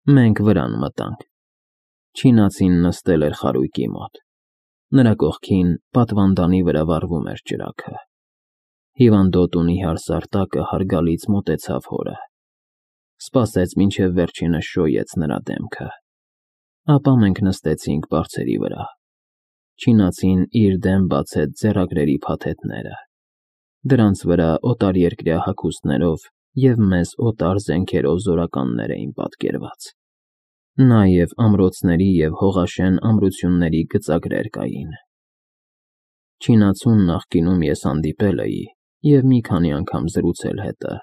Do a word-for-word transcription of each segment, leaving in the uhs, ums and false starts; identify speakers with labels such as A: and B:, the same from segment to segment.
A: Մենք վրան մտանք։ Չինացին նստել էր խարույկի մոտ։ Նրա կողքին պատվանդանի վրա վառվում էր ճրագը։ Հիվանդոտ ու նիհար Սարտակը հարգալից մոտեցավ հորը, սպասեց, մինչև վերջինս շոյեց նրա դեմքը, ապա մենք նստեցինք բարձերի վրա։ Չինացին իր դեմ բացեց ձեռագրերի փաթեթները, դրանց վրա օտարերկրյա հագուստներով և մեզ օտար զենքերով զորականներ էին պատկերված, նաև ամրոցների և հողաշեն ամրությունների գծագրեր կային։ Չինացուն նախկինում ես հանդիպել էի և մի քանի անգամ զրուցել հետը,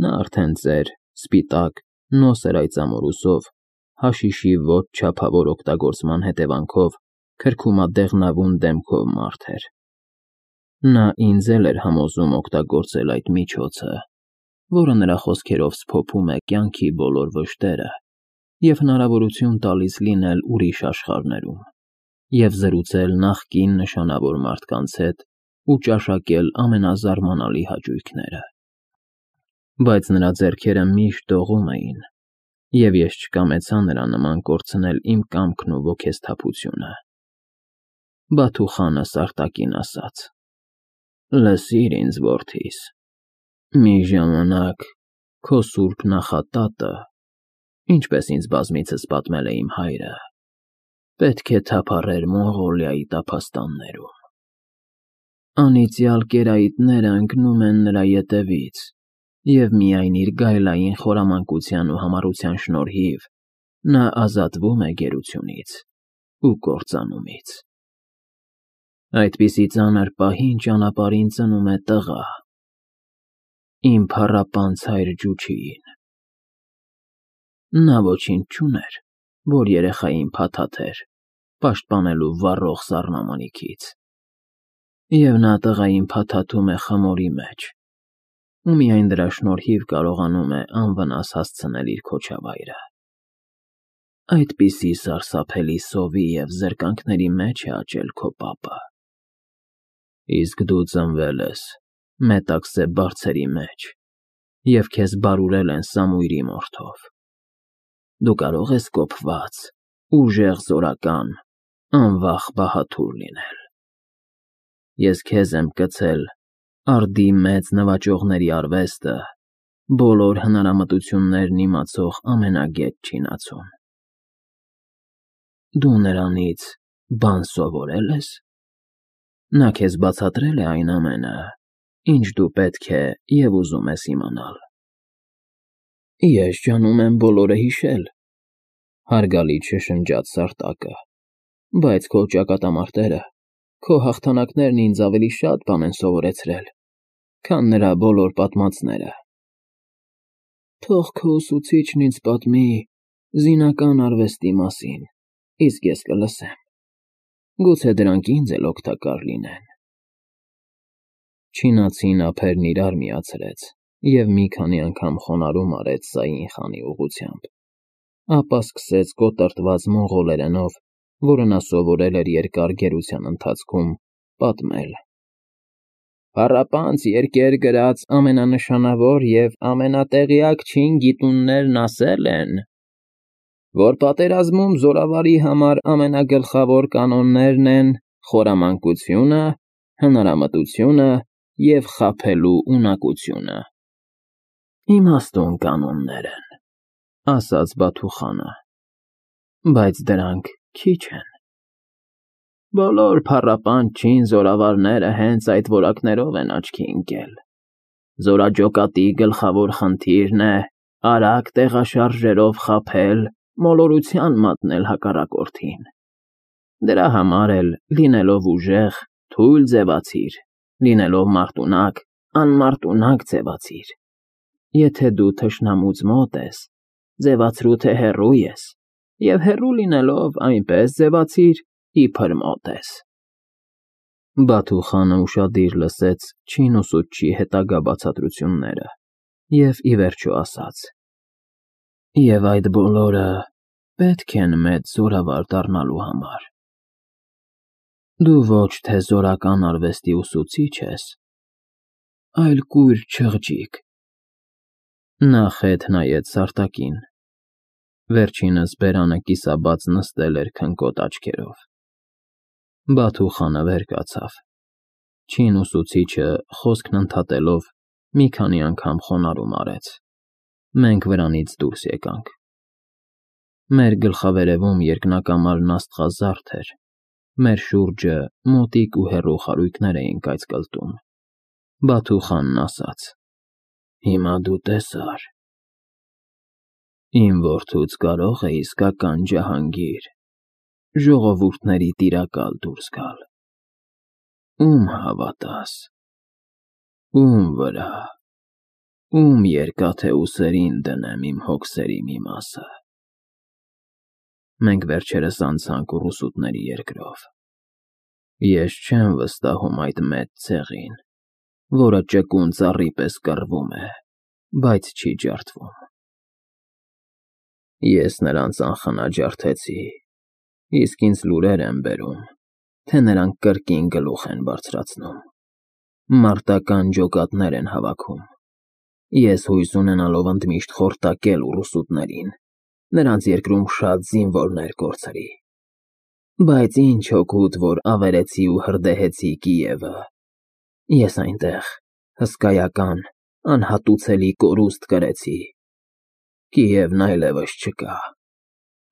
A: նա արդեն ծեր, սպիտակ, նոսր այծամորուսով, հաշիշի ոչ չափավոր օգտագործման հետևանքով քրքումադեղնավուն դեմքով մարդ էր։ Նա ինձ էլ էր համոզում օգտագործել այդ միջոցը, որը նրա խոսքերով սփոփում է կյանքի բոլոր վշտերը և հնարավորություն տալիս լինել ուրիշ աշխարհներում և զրուցել նախկին նշանավոր մարդկանց հետ ու ճաշակել ամենազարմանալի հաճույքները։ Բայց նրա ձեռքերը միշտ դողում էին, և ես չկամեցա նրա նման կորցնել իմ կամքն ու ոգեսթափությունը։ Բաթու խանը Սարտակին ասաց. «Լսիր ինձ, որդիս, մի ժամանակ քո սուրբ նախատատը, ինչպես ինձ բազմիցս պատմել է իմ հայրը, պետք է թափառեր Մոնղոլիայի տափաստաններում։ Անիծյալ կերայիտները ընկնում են նրա ետևից, և միայն իր գայլային խորամանկության ու համառության շնորհիվ նա ազատվում է գերությունից ու կործանումից։ Այդպիսի ծանր պահին ճանապարհին ծնում է տղա, իմ փառապանծ հայր Ջուչիին։ Նա ոչինչ չուներ, որ երեխային փաթաթեր, պաշտպանելու վառող սառնամանիքից, և նա տղային փաթաթում է խմորի մեջ ու միայն դրա շնորհիվ կարողանում է անվնաս հասցնել իր քոչավայրը։ Այդպիսի սարսափելի սովի և զրկանքների մեջ է աճել քո պապը։ Իսկ դու ծնվել ես Մետաքսե բարձերի մեջ և քեզ բարուրել են Սամույրի մորթով։ Դու կարող ես կոփված, ուժեղ զորական, անվախ բահադուր լինել։ Ես քեզ եմ կցել արդի մեծ նվաճողների արվեստը, բոլոր հնարամտություններն իմացող ամենագետ չինացուն։ Դու նրանից բան սովորե՞լ ես։ Նա քեզ բացատրե՞լ է այն ամենը, ինչ դու պետք է և ուզում ես իմանալ։ Ես ջանում եմ բոլորը հիշել, հարգալից շշնջաց Սարտակը, բայց քո ճակատամարտերը, քո հաղթանակներն ինձ ավելի շատ բան են սովորեցրել, քան նրա բոլոր պատմածները։ Թող քո ուսուցիչն ինձ պատմի զինական արվեստի մասին, իսկ ես կլսեմ, գուցե դրանք ինձ էլ օգտակար լինեն։ Չինացին ափերն իրար միացրեց և մի քանի անգամ խոնարհում արեց Սային խանի ուղղությամբ, ապա սկսեց կոտրտված մոնղոլերենով, որը նա սովորել էր երկար գերության ընթացքում, պատմել. Փառապանծ երկեր գրած ամենանշանավոր և ամենատեղյակ չին գիտուններն ասել են, որ պատերազմում զորավարի համար ամենագլխավոր կանոններն են խորամանկությունը, հնարամտությունը և խաբելու ունակությունը։ Իմաստուն կանոններ են, ասաց Բաթու խանը, բայց դրանք քիչ են։ Բոլոր փառապանծ չին զորավարները հենց այդ որակներով են աչքի ընկել։ Զորաջոկատի գլխավոր խնդիրն է արագ տեղաշարժերով խաբել, մոլորության մատնել հակառակորդին։ Դրա համար էլ, լինելով ուժեղ, թույլ ձևացիր, լինելով մարտունակ, անմարտունակ ձևացիր։ Եթե դու թշնամուց մոտ ես, ձևացրու, թե հեռու ես, և հեռու լինելով, այնպես ձևացիր, իբր մոտ ես։ Բաթու խանը ուշադիր լսեց չին ուսուցչի հետագա բացատրությունները և ի վերջո ասաց. Եվ այդ բոլորը պետք են մեծ զորավար դառնալու համար։ Դու ոչ թե զորական արվեստի ուսուցիչ ես, այլ կույր չղջիկ։ Նա խեթ նայեց Սարտակին։ Վերջինս բերանը կիսաբաց նստել էր քնկոտ աչքերով։ Բաթու խանը վեր կացավ։ Չին ուսուցիչը, խոսքն ընդհատելով, մի քանի անգամ խոնարհում արեց։ Մենք վրանից դուրս եկանք։ Մեր գլխավերևում երկնակամարն աստղազարդ էր, մեր շուրջը մոտիկ ու հեռու խարույկներ էին կայծկլտում։ Բաթու խանն ասաց. «Հիմա դու տեսար։ Իմ որդուց կարո՞ղ է իսկական ջահանգիր, ժողովուրդների տիրակալ դուրս գալ։ Ում հավատաս, ում վրա, ում երկաթե ուսերին դնեմ իմ հոգսերի մի մասը»։ Մենք վերջերս անցանք ուռուսուտների երկրով։ Ես չեմ վստահում այդ մեծ ցեղին, որը ճկուն ծառի պես կռվում է, բայց չի ջարդվում։ Ես նրանց անխնա ջարդեցի, իսկ ինձ լուրեր են բերում, թե նրանք կրկին գլուխ են բարձրացնում, մարտական ջոկատներ են հավաքում։ Ես հույս ունենալով ընդմիշտ խորտակել ուռուսուտներին, նրանց երկրում շատ զինվորներ կորցրի։ Բայց ինչ օգուտ, որ ավերեցի ու հրդեհեցի Կիևը։ Ես այնտեղ հսկայական, անհատուցելի կորուստ կրեցի։ Կիևն այլևս չկա։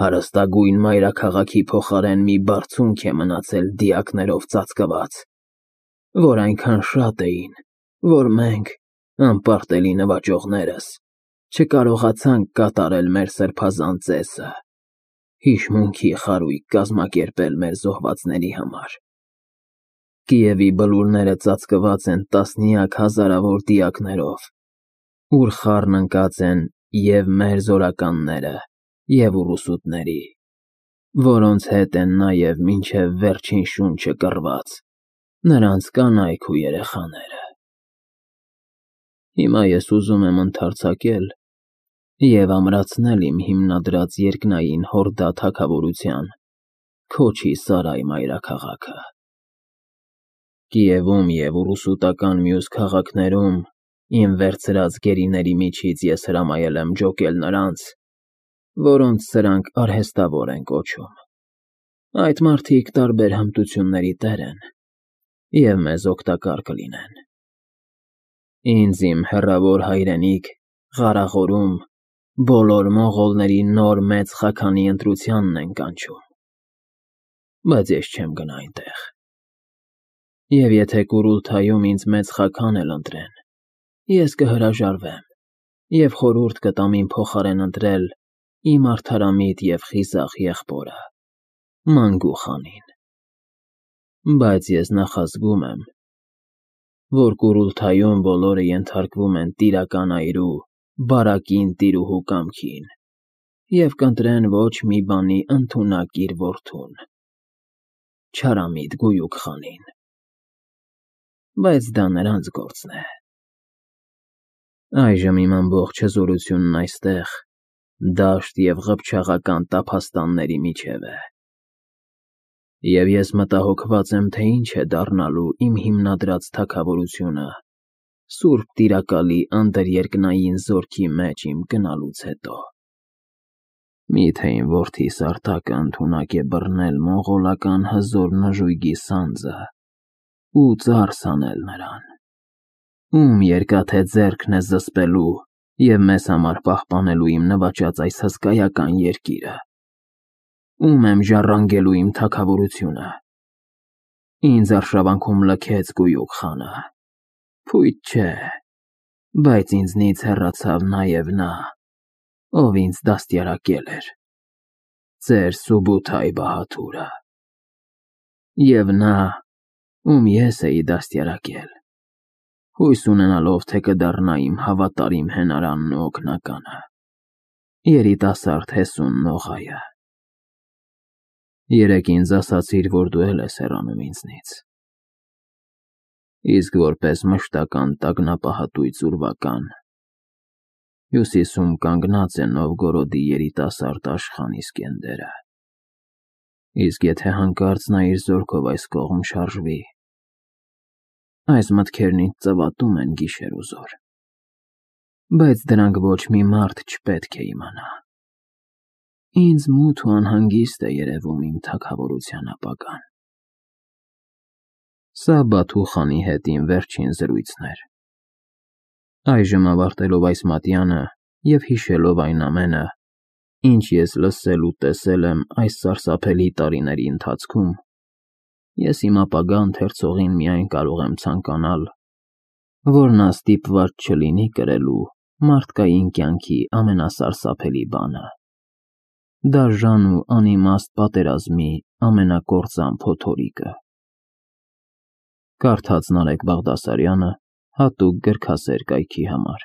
A: Հարստագույն մայրաքաղաքի փոխարեն մի բարձունք է մնացել դիակներով ծածկված, որ այնքան շատ էին, որ մենք, անպարտելի նվաճողներս, չկարողացանք կատարել մեր սրբազան ծեսը՝ հիշմունքի խարույկ կազմակերպել մեր զոհվածների համար։ Կիևի բլուրները ծածկված են տասնյակ հազարավոր դիակներով, ուր խառն ընկած են և՛ մեր զորականները, և՛ ուռուսուտների, որոնց հետ են նաև մինչև վերջին շունչը կռված նրանց կանայք ու երեխաները։ Հիմա ես ուզում եմ ընդարձակել և ամրացնել իմ հիմնադրած երկնային Հորդա թագավորության Քոչի֊Սարայ մայրաքաղաքը։ Կիևում և ուռուսուտական մյուս քաղաքներում իմ վերցրած գերիների միջից ես հրամայել եմ ջոկել նրանց, որոնց սրանք արհեստավոր են կոչում։ Այդ մարդիկ տարբեր հմտությունների տեր են և մեզ օգտակար կլինեն։ Ինձ իմ հեռավոր հայրենիք Ղարախորում բոլոր մոնղոլների նոր մեծ խաքանի ընտրությանն են կանչում, բայց ես չեմ գնա այնտեղ։ Եվ եթե Կուրուլթայում ինձ մեծ խաքան էլ ընտրեն, ես կհրաժարվեմ և խորհուրդ կտամ իմ փոխարեն ընտրել իմ արդարամիտ և խիզախ եղբորը՝ Մանգու խանին։ Բայց ես նախազգում եմ, որ Կուրուլթայում բոլորը ենթարկվում են տիրական այրու՝ Բարակին տիրուհու կամքին և կընտրեն ոչ մի բանի ընդունակ իր որդուն՝ չարամիտ Գույուկ խանին։ Բայց դա նրանց գործն է։ Այժմ իմ ամբողջ հզորությունն այստեղ, դաշտ և ղփչաղական տափաստանների միջև է, և ես մտահոգված եմ, թե ինչ է դառնալու իմ հիմնադրած թագավորությունը Սուրբ Տիրակալի անդրերկնային զորքի մեջ իմ գնալուց հետո։ Մի՞թե իմ որդիս Արտակը ընդունակ է բռնել մոնղոլական հզոր նժույգի սանձը ու ծարս անել նրան։ Ում երկաթե ձեռքն է զսպելու և մեզ համար պահպանելու իմ նվաճած այս հսկայական երկիրը։ Ում եմ ժառանգելու իմ թագավորությունը։ Ինձ արշավանքում լքեց Գույուկ խանը։ Փույթ չէ, բայց ինձնից հեռացավ նաև նա, ով ինձ դաստիարակել էր՝ ձեր Սուբութայ բահադուրը։ Եվ նա, ում ես էի դաստիարակել, հույս ունենալով, թե կդառնա իմ հավատարիմ հենարանն ու օգնականը, երիտասարդ հեսուն Նողայը։ Երեկ ինձ ասացիր, որ դու էլ ես հեռանում ինձնից, իսկ որպես մշտական տագնապահատույց ուրվական, հյուսիսում կանգնած է Նովգորոդի երիտասարդ Աշխան Իսկենդերը։ Իսկ եթե հանկարծ նա իր զորքով այս կողմ շարժվի, այս մտքերն ինձ ծվատում են գիշեր ու զօր, բայց դրանք ոչ մի մարդ չպետք է իմանա։ Ինձ մութ ու անհանգիստ է երևում իմ թագավորության ապագան։ Սա Բաթու-խանի հետ իմ վերջին զրույցն էր։ Այժմ ավարտելով այս մատյանը և հիշելով այն ամենը, ինչ ես լսել ու տեսել եմ այս սարսափելի տարիների ընթացքում, ես իմ ապագա ընթերցողին միայն կարող եմ ցանկանալ, որ նա ստիպված չլինի կրելու մարդկային կյանքի ամենասարսափելի բանը, դաժան ու անիմաստ պատերազմի ամենակործան փոթորիկը։ Կարդաց Նարեկ Բաղդասարյանը հատուկ գրքասեր կայքի համար։